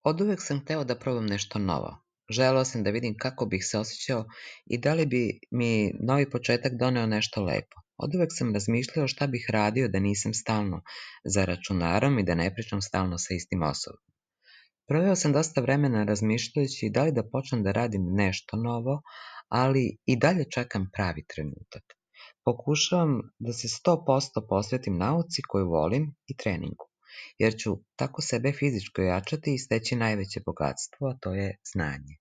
Oduvek sam hteo da probam nešto novo. Želeo sam da vidim kako bih se osjećao i da li bi mi novi početak doneo nešto lepo. Oduvek sam razmišljao šta bih radio da nisam stalno za računarom i da ne pričam stalno sa istim osobom. Proveo sam dosta vremena razmišljajući da li da počnem da radim nešto novo, ali i dalje čekam pravi trenutak. Pokušavam da se 100% posvetim nauci koju volim i treningu, jer ću tako sebe fizički ojačati i steći najveće bogatstvo, a to je znanje.